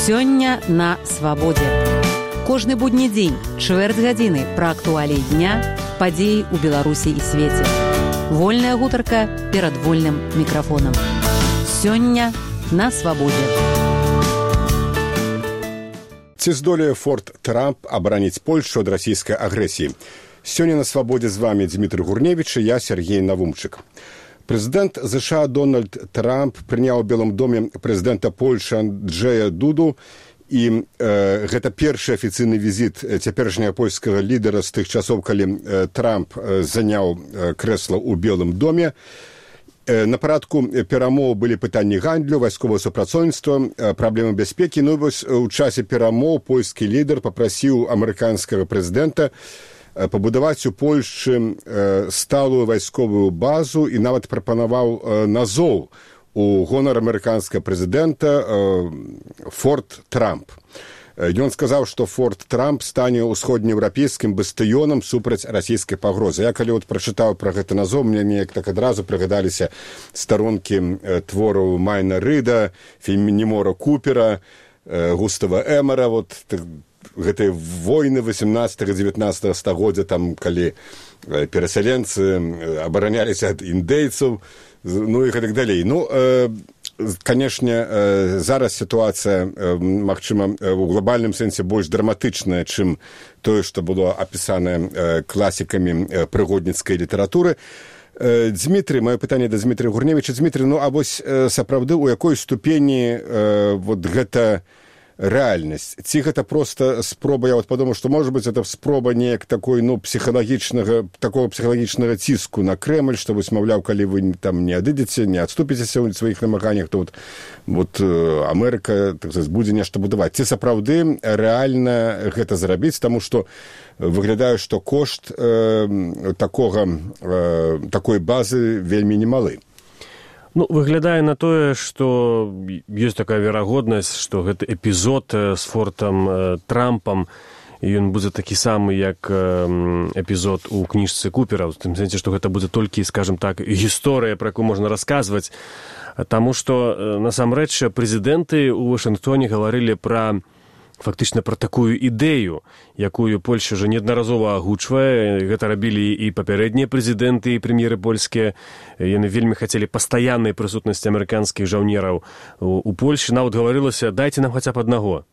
Сёння на свабодзе. Кожны будні дзень, чвэрць гадзіны пра актуаліі дня, падзеі ў Беларусі і свеце. Вольная гутарка перад вольным мікрафонам. Сёння на свабодзе. Ці здолее Форт Трамп абараніць Польшу ад расійскай агрэсіі? Сёння на свабодзе з вами Дмітрый Гурневіч і я, Сергей Навумчык. Прэзідэнт США Дональд Трамп прыняў у Белым доме прэзідэнта Польшы Анджэя Дуду, і гэта першы афіцыйны візіт цяперашняга польскага лідара з тых часоў, калі Трамп заняў крэсла ў Белым доме. На парадку перамоў былі пытанні гандлю, вайсковага супрацоўніцтва, праблемы бяспекі. Ну вось у часе перамоў польскі лідар папрасіў амерыканскага прэзідэнта пабудаваць у Польшчы сталую вайсковую базу і нават прапанаваў назоў у гонар амерыканскага прэзідэнта Форт Трамп. Ён сказаў, што Форт Трамп стане ўсходнееўрапейскім бастыёнам супраць расійскай пагрозы. Я калі прачытаў пра гэта назоў, мне неяк так адразу прыгадаліся старонкі твораў Майна Рыда, Фенімора Купера, Густава Эмера, гэтыя войны 18-19 стагоддзя, там, калі перасяленцы абараняліся ад індейцаў, ну і гэтак далей. Ну, канешне, зараз сітуацыя, магчыма, у глобальным сэнсе больш драматычная, чым тое, што было апісанае класікамі прыгодніцкай літаратуры. Дмітрый, маё пытанне да Дмітрыя Гурневіча. Дмітрый, ну, а вось сапраўды у якой ступені гэта рэальнасць? Ці гэта проста спроба, я падумаў, што, можа быць, гэта спроба неяк такой, ну, такого псіхалагічнага ціску на Крэмль, што вось, маўляў, калі вы там не адыдзеце, не адступіцеся ў сваіх намаганнях, то Амерыка, так сказаць, будзе нешта будаваць. Ці сапраўды рэальна гэта зрабіць, таму што выглядае, што кошт такой базы вельмі немалы. Ну, выглядае на тое, што ёсць такая верагоднасць, што гэты эпізод з Фортам Трампам, ён будзе такі самы, як эпізод у кніжцы Купера, у тым сэнсе, што гэта будзе толькі, скажем так, гісторыя, пра якую можна расказваць, таму што, насамрэч, прэзідэнты ў Вашынгтоне гаварылі фактычна пра такую ідэю, якую Польша ўжо неаднаразова агучвае. Гэта рабілі і папярэднія прэзідэнты, і прэм'еры польскія. Яны вельмі хацелі пастаяннай прысутнасці амерыканскіх жаўнераў у Польшы. Нават гаварылася, дайце нам хаця б аднаго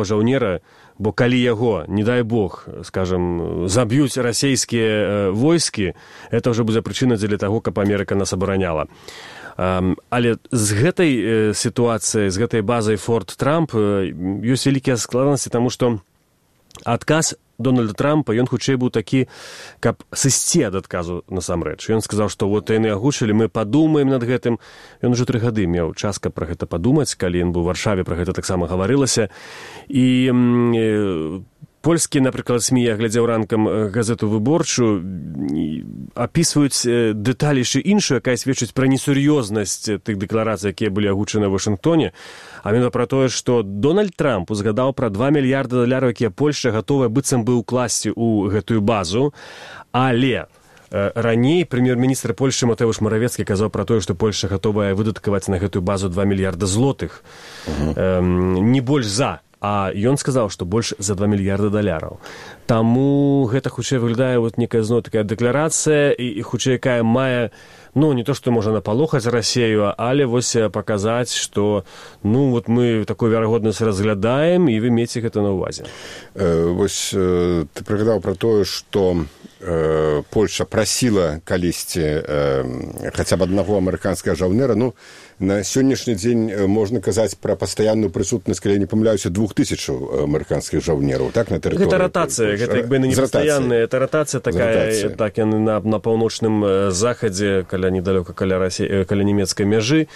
жаўнера, бо калі яго, не дай Бог, скажам, заб'юць расійскія войскі, это ўжо будзе прычына дзеля таго, каб Амерыка нас абараняла. Але з гэтай сітуацыі, з гэтай базай Форт Трамп ёсць вялікія складанасці, таму што адказ Дональда Трампа, ён хутчэй быў такі, каб сысці ад адказу насамрэч. Ён сказаў, што яны агучылі, мы падумаем над гэтым. Ён ужо 3 гады меў час, каб пра гэта падумаць, калі ён быў у Варшаве, пра гэта таксама гаварылася. І польскія, напрыклад, СМІ, я глядзеў ранкам газету «Выборчу», апісваюць дэталі яшчэ іншую, якая сведчыць пра несур'ёзнасць тых дэкларацый, якія былі агучаны ў Вашынгтоне, а менавіта пра тое, што Дональд Трамп узгадаў пра $2 мільярды, якія Польша гатовая быццам бы ўкласці ў гэтую базу, але раней прэм'ер-міністр Польшы Матэўш Маравецкі казаў пра тое, што Польша гатовая выдаткаваць на гэтую базу $2 мільярда злотых. Не больш за. А ён сказаў, што больш за $2 мільярда. Таму гэта хутчэй выглядае некая зноў такая дэкларацыя, і хутчэй якая мае, ну, не то, што можа напалохаць Расею, але вось паказаць, што, ну, мы такую верагоднасць разглядаем, і вы меце гэта на ўвазе. Вось ты прыгадаў пра тое, што Польша прасіла калісьці хаця б аднаго амерыканскага жаўнера. Ну, на сённяшні дзень можна казаць пра пастаянную прысутнасць, калі я не памыляюся, 2000 амерыканскіх жаўнераў, так, на тэрыторыі. Гэта ратацыя, гэта як бы не пастаянная, это ратацыя такая, так, яны на паўночным захадзе, каля недалёка каля нямецкай мяжы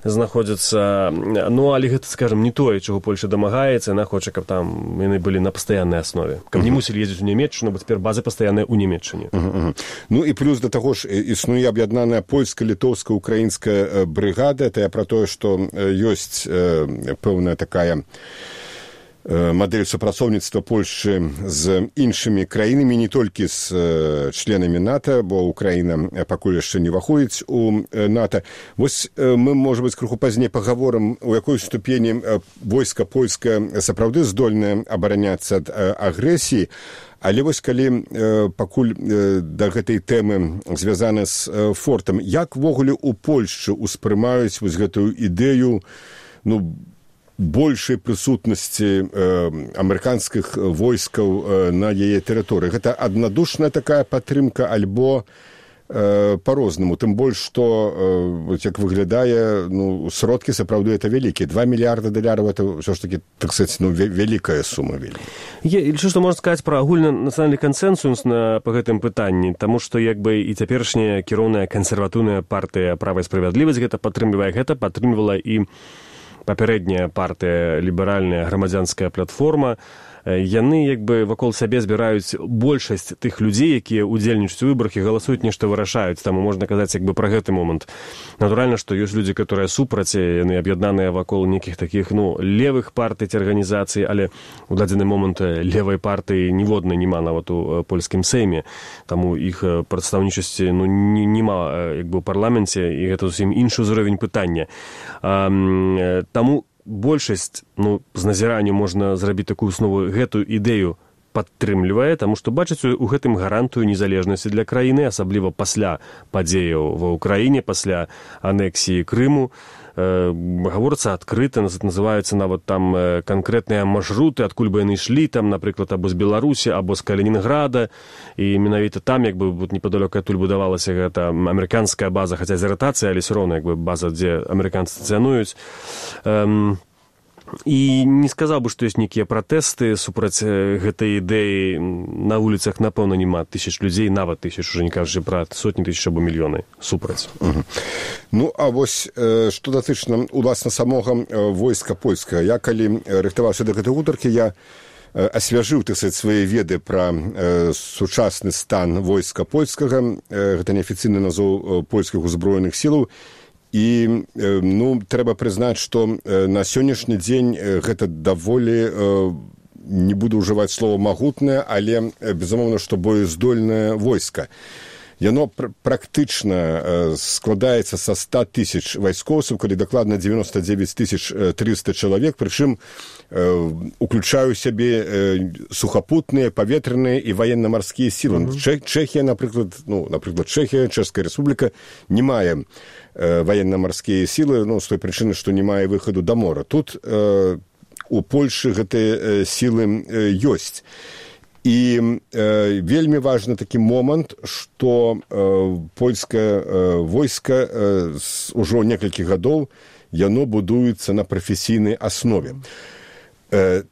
знаходзяцца. Ну, але гэта, скажам, не тое, чаго Польша дамагаецца, яна хоча, каб там яны былі на пастаяннай аснове. Каб не мусілі ездзіць у Нямецчыну, бо цяпер базы пастаянныя ў Нямецчыне. Ну і плюс да таго ж існуе аб'яднаная польска-літоўская украінская брыгада. Это я пра тое, што ёсць пэўная такая мадэль супрацоўніцтва Польшчы з іншымі краінамі, не толькі з членамі НАТО, бо Украіна пакуль яшчэ не ўваходзіць у НАТО. Вось мы, можа быць, крыху пазней пагаворым, у якой ступені войска польскае сапраўды здольнае абараняцца ад агрэсіі. Але вось калі пакуль да гэтай тэмы звязана з фортам, як ввогуле у Польшчы ўспрымаюць вось гэтую ідэю, большай прысутнасці амерыканскіх войскаў на яе тэрыторыі? Гэта аднадушная такая падтрымка альбо па-рознаму? Тым больш, што, як выглядае, сродкі сапраўды это вялікія. 2 мільярда долараў это ўсё ж такі, так сказаць, вялікая сума. Я лічу, што можна сказаць пра агульнанацыянальны кансэнсус па гэтым пытанні, таму што як бы і цяперашняя кіроўная кансерватыўная партыя «Права і справядлівасць» гэта падтрымлівае, гэта падтрымлівала і папярэдняя партыя ліберальная грамадзянская платформа. Яны як бы вакол сябе збіраюць большасць тых людзей, якія ўдзельнічаюць у выбарах і галасуюць, нешта вырашаюць. Таму можна казаць як бы пра гэты момант. Натуральна, што ёсць людзі, которые супраць, яны аб'яднаныя вакол нейкіх такіх левых партый ці арганізацый, але у дадзены момант левай партыі ніводнай няма нават у польскім сейме. Таму іх прадстаўнічасці няма як бы ў парламенце, і гэта зусім іншы ўзровень пытання. Таму большасць, з назіранню можна зрабіць такую основу, гэтую ідэю падтрымлівае, таму што бачыць у гэтым гарантыю незалежнасці для краіны, асабліва пасля падзеяў ва ўкраіне, пасля анексіі Крыму. Гаворыцца адкрыта, называюцца нават там канкрэтныя маршруты, адкуль бы яны ішлі, там, напрыклад, або з Беларусі, або з Калінінграда, і менавіта там, як бы непадалёк адтуль будавалася гэта амерыканская база, хаця з ратацыяй, але ўсё роўна як бы база, дзе амерыканцы стацыянуюць. І не сказаў бы, што ёсць нейкія пратэсты супраць гэтай ідэі. На вуліцах, напэўна, няма тысяч людзей, нават тысяч, уже не кажучы пра сотні тысяч або мільёны супраць. А вось, што датычна, уласна, самога войска польскага. Я, калі рыхтаваўся да гэтай гутаркі, я асвяжыў, так сказаць, свае веды пра сучасны стан войска польскага. Гэта неафіцыйны назоў польскіх узброеных сілаў. І, трэба прызнаць, што на сённяшні дзень гэта даволі, не буду ўжываць слова магутнае, але, безумоўна, што боездольнае войска. Яно практычна складаецца са 100 тысяч вайскоўцаў, калі дакладна 99 300 чалавек, прычым уключаю сябе сухапутныя, паветраныя і военно-марскія сілы. Чэхія, напрыклад, Чэхія, Чэшская рэспубліка не мае военно-марскія сілы, з той прычыны, што не мае выхаду да мора. Тут у Польшы гэтыя сілы ёсць. І вельмі важны такі момант, што польскае войска ўжо некалькі гадоў яно будуецца на прафесійнай аснове.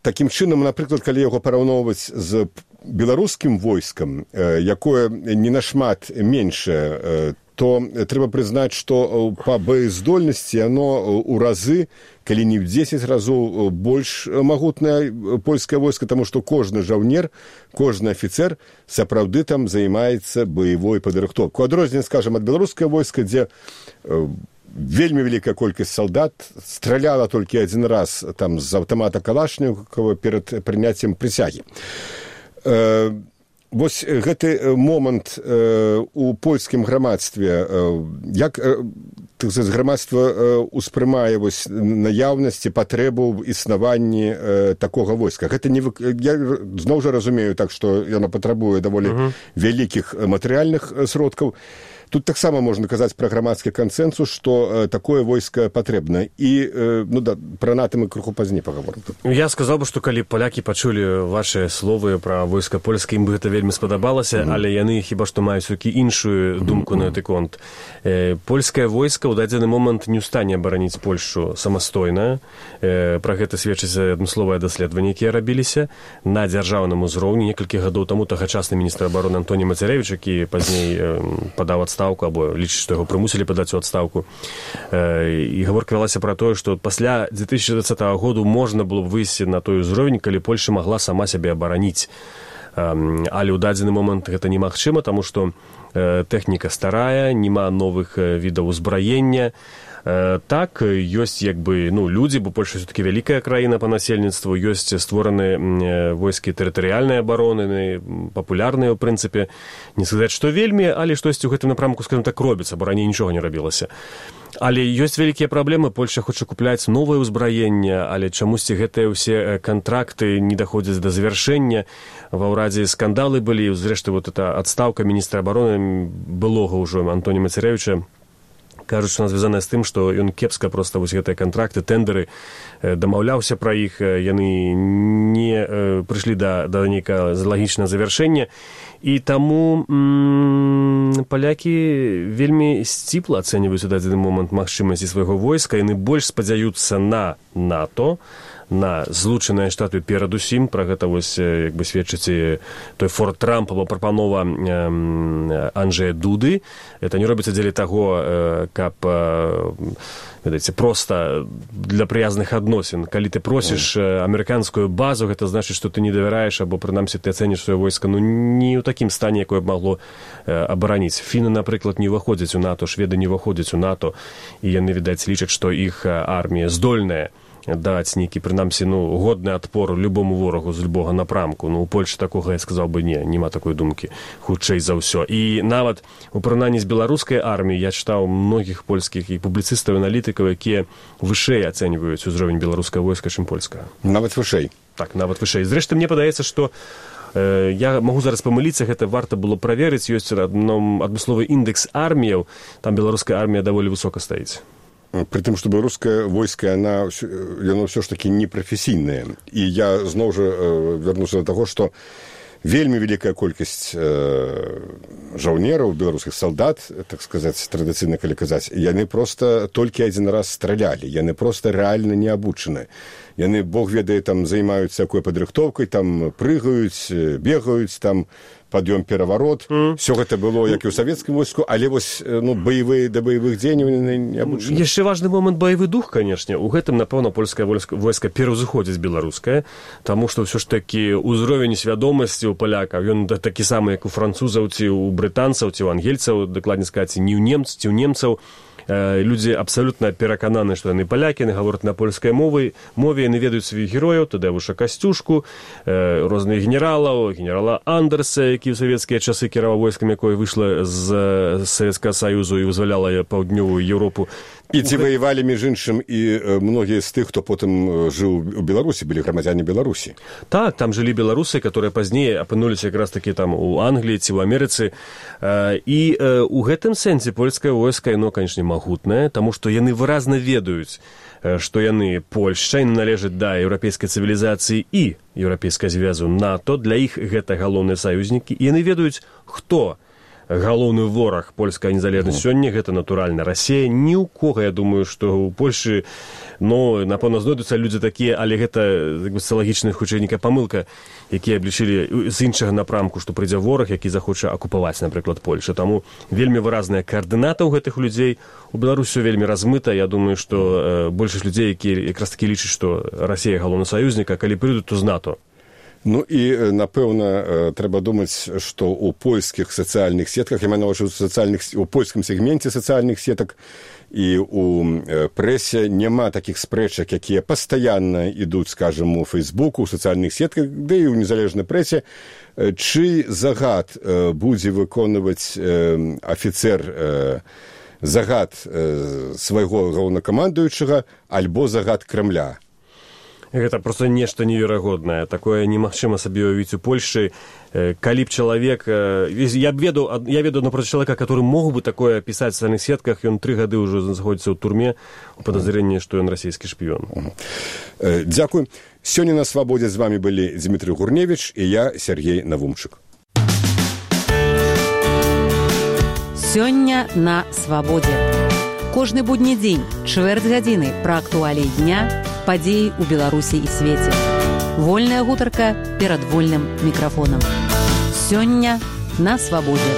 Такім чынам, напрыклад, калі яго параўноўваць з беларускім войскам, якое не нашмат меншае, то трэба прызнаць, што па боездольнасці яно ў разы, калі не ў 10 разоў больш магутнае польскае войска, таму што кожны жаўнер, кожны афіцэр сапраўды там займаецца баявой падрыхтоўкай. У адрозненне, скажам, ад беларускае войска, дзе вельмі вялікая колькасць салдат страляла толькі адзін раз там з аўтамата Калашнікова перад прыняццем прысягі. Вось гэты момант у польскім грамадстве, як грамадства ўспрымае наяўнасці, патрэбу ў існаванні такога войска. Гэта не, я зноў жа разумею так, што яно патрабуе даволі вялікіх матэрыяльных сродкаў. Тут таксама можна казаць пра грамадскі кансэнсус, што такое войска патрэбна. І пра НАТО мы крыху пазней пагаворым. Я сказаў бы, што калі палякі пачулі вашыя словы пра войска польскае, ім бы гэта вельмі спадабалася, але яны хіба што маюць іншую думку на гэты конт. Польскае войска ў дадзены момант не ў стане абараніць Польшчу самастойна. Пра гэта сведчыць адмысловыя даследаванні, якія рабіліся на дзяржаўным узроўні. Некалькі гадоў таму тагачасны міністр абароны Антоні Мацярэвіч, які пазней падаў адстаўку, або лічыць, што яго прымусілі падаць у адстаўку. І гаворка вялася пра тое, што пасля 2020 году можна было б выйсці на той узровень, калі Польша магла сама сябе абараніць. Але ў дадзены момант гэта немагчыма, таму што тэхніка старая, няма новых відаў узбраення. Так, ёсць як бы, людзі, бо Польша все-таки вялікая краіна па насельніцтву, ёсць створаны войскі тэрытарыяльнай абароны, папулярныя, ў прынцыпе. Не сказаць, што вельмі, але штосьці ў гэтым напрамку, скажем так, робіцца, бо раней нічога не рабілася. Але ёсць вялікія праблемы, Польша хоча купляць новае ўзбраенне, але чамусьці гэтыя ўсе кантракты не даходзяць да завяршэння. Ва ўрадзе скандалы былі, зрэшты, вот эта адстаўка міністра абароны былога ўжо Антоні Мацяревіча, кажуць, што она звязаная з тым, што ён кепска проста вось гэтыя кантракты, тэндеры, дамаўляўся пра іх, яны не прыйшлі да нейкага лагічнага завяршэння. І таму палякі вельмі сціпла ацэньваюць у дадзены момант магчымасці свайго войска, яны больш спадзяюцца на НАТО, на Злучаныя Штаты перадусім. Пра гэта вось як бы сведчыць той Форт Трамп або прапанова Анджэя Дуды. Это не робіцца дзеля таго, каб, ведаеце, проста для прыязных адносін. Калі ты просіш амерыканскую базу, гэта значыць, што ты не давяраеш, або прынамсі ты ацэніш сваё войска не ў такім стане, якое б магло абараніць. Фіны, напрыклад, не ўваходзяць у НАТО, шведы не ўваходзяць у НАТО, і яны, відаць, лічаць, што іх армія здольная даць нейкі, прынамсі, годны адпор любому ворагу з любога напрамку. У Польшы такога, я сказаў бы, няма такой думкі, хутчэй за ўсё. І нават у параўнанні з беларускай арміяй я чытаў многіх польскіх і публіцыстаў, аналітыкаў, якія вышэй ацэньваюць узровень беларускага войска, чым польскага. Нават вышэй? Так, нават вышэй. Зрэшты, мне падаецца, што я магу зараз памыліцца, гэта варта было праверыць, ёсць адмысловы індекс арміяў, там беларуская армія даволі высока стаіць. При тым, што беларускае войска, яно ўсё ж такі непрафесійнае. І я зноў жа вярнуся да таго, што вельмі вялікая колькасць жаўнераў, беларускіх салдат, так сказаць, традыцыйна, калі казаць, яны проста толькі адзін раз стралялі, яны проста рэальна не абучаны. Яны, Бог ведае, там займаюцца якой падрыхтоўкай, там прыгаюць, бегаюць, там пад'ём пераварот. Всё гэта было, як і ў савецкім войску, але вось баявыя да баявых дзеянняў не абучаны. Яшчэ важны момант баявы дух, канешне. У гэтым, напэўна, польскае войска пераўзыходзіць беларускае, таму што ўсё ж такі ўзровень свядомасці ў палякаў, ён такі самы, як у французаў, ці ў брытанцаў, ці ў ангельцаў, дакладней сказаць, ці ў немцаў. Людзі абсалютна перакананы, што яны палякі, яны гавораць на польскай мове, яны ведаюць сваіх герояў, Тадеуша Касцюшку, розныя генерала Андерса, які ў савецкія часы кіраваў войскам, якое выйшла з Савецкага Саюзу і вызваляла паўднёвую Еўропу. І ці ваявалі, між іншым, і многія з тых, хто потым жыў у Беларусі, былі грамадзяне Беларусі. Так, там жылі беларусы, которые пазней апынуліся якраз такі там у Англіі ці ў Амерыцы. І ў гэтым сэнсе польскае войска, яно, канешне, магутнае, таму што яны выразна ведаюць, што яны Польшча, яны належаць да еўрапейскай цывілізацыі і еўрапейскай звязу НАТО, для іх гэта галоўныя саюзнікі, і яны ведаюць, хто галоўны вораг польская незалежнасць сёння, гэта, натуральна, Расія. Ні ў кога, я думаю, што ў Польшы, напэўна, знойдуцца людзі такія, але гэта сацыялагічная, хутчэй, нейкая памылка, якія аблічылі з іншага напрамку, што прыйдзе вораг, які захоча акупаваць, напрыклад, Польшу. Таму вельмі выразная каардыната ў гэтых людзей. У Беларусі вельмі размыта. Я думаю, што большасць людзей, якія якраз такі лічаць, што Расія галоўны саюзнік, а калі прыйдуць, то з НАТО. І, напэўна, трэба думаць, што ў польскіх сацыяльных сетках, я маю на ўвазе у польскім сегменце сацыяльных сетак і ў прэсе няма такіх спрэчак, якія пастаянна ідуць, скажам, у Фейсбуку, у сацыяльных сетках, да і ў незалежнай прэсе, чый загад будзе выконваць афіцэр загад свайго галоўнакамандуючага альбо загад Крамля. Гэта проста нешта неверагоднае. Такое немагчыма сабе ўявіць у Польшы. Калі б чалавек... Я ведаю, напроти чалавека, который мог бы такое пісаць в сацыяльных сетках, ён 3 гады ўжо знаходзіцца ў турме у падазрэнні, што ён расійскі шпіён. Дзякуй. Сёння на Свабодзе з вами былі Дмітрый Гурневіч і я, Сергей Навумчык. Сёння на Свабодзе. Кожны будні дзень, чвэрць гадзіны пра актуаліі дня, падзеі ў Беларусі і свеце. Вольная гутарка перад вольным мікрафонам. Сёння на Свабодзе.